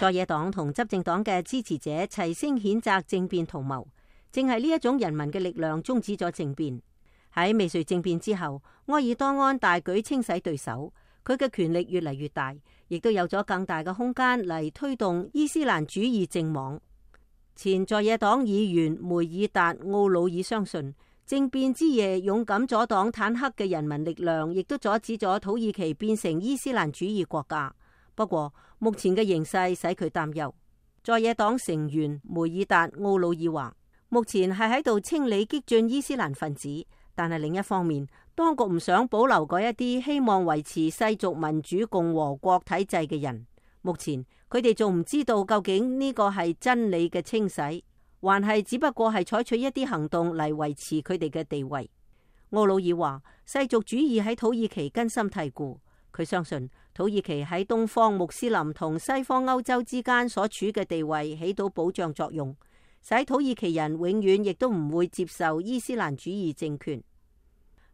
在野黨同執政黨嘅支持者齊聲譴責政變圖謀，正係呢一種人民嘅力量終止咗政變。喺未遂政變之後，埃爾多安大舉清洗對手，佢嘅權力越嚟越大，亦都有咗更大嘅空間嚟推動伊斯蘭主義政網。前在野黨議員梅爾達奧魯爾相信，政變之夜勇敢阻擋坦克嘅人民力量，亦都阻止咗土耳其變成伊斯蘭主義國家。不過目前嘅形勢使佢擔憂。在野黨成員梅爾達奧魯爾話，目前係喺度清理激進伊斯蘭分子，但係另一方面，當局唔想保留嗰一啲希望維持世俗民主共和國體制嘅人。目前佢哋仲唔知道究竟呢個係真理嘅清洗，還係只不過係採取一啲行動嚟維持佢哋嘅地位。奧魯爾話，世俗主義喺土耳其根深蒂固，佢相信土耳其喺東方穆斯林同西方歐洲之間所處嘅地位起到保障作用，使土耳其人永遠亦都唔會接受伊斯蘭主義政權。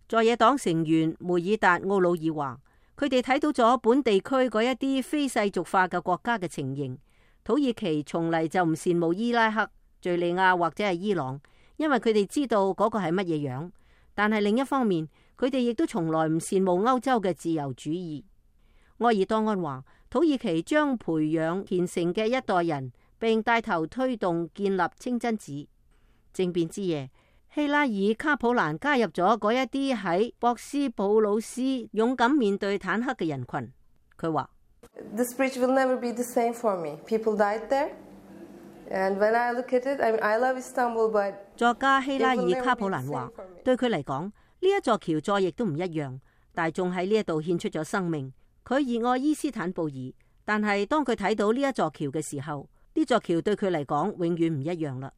在野黨成員梅爾達奧魯爾話，佢哋睇到咗本地區嗰一啲非世俗化嘅國家嘅情形。土耳其從嚟就唔羨慕伊拉克、敘利亞或者係伊朗，因為佢哋知道嗰個係乜嘢樣。但係另一方面，佢哋亦都從來唔羨慕歐洲嘅自由主義。埃爾多安話，土耳其將培養虔誠嘅一代人，並帶頭推動建立清真寺。政變之夜，希拉爾卡普蘭加入咗嗰一啲喺博斯普魯斯勇敢面對坦克嘅人群。佢話：This bridge will never be the same for me. People died there, and when I look at it, I love Istanbul, but 作家希拉爾卡普蘭話，對佢嚟講，呢一座橋再亦都唔一樣。大眾喺呢一度獻出咗生命，佢熱愛伊斯坦布爾，但係當佢睇到呢一座橋嘅時候，呢座橋對佢嚟講永遠唔一樣啦。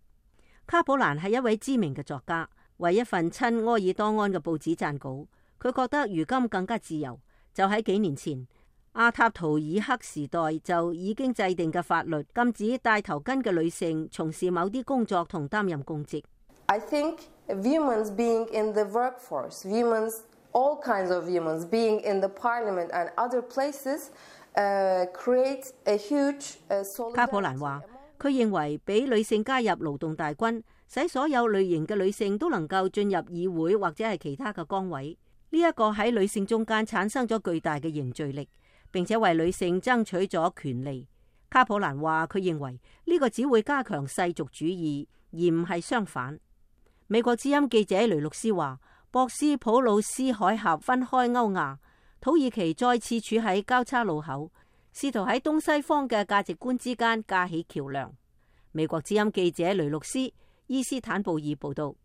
卡普蘭係一位知名嘅作家，為一份親埃爾多安嘅報紙撰稿。佢覺得如今更加自由，就喺幾年前阿塔圖爾克時代就已經制定嘅法律，禁止戴頭巾嘅女性從事某啲工作同擔任公職。I think women being in the workforce, women, all kinds of women being in the parliament and other places, create a huge solidarity. 卡普蘭話，佢認為俾女性加入勞動大軍，使所有類型嘅女性都能夠進入議會或者係其他嘅崗位。呢一個喺女性中間產生咗巨大嘅凝聚力，並且為女性爭取咗權利。卡普蘭話，佢認為呢個只會加強世俗主義，而唔係相反。美國之音記者雷魯斯話，博斯普魯斯海峽分開歐亞，土耳其再次處喺交叉路口，試圖喺東西方嘅價值觀之間架起橋樑。美國之音記者雷魯斯伊斯坦布爾報道。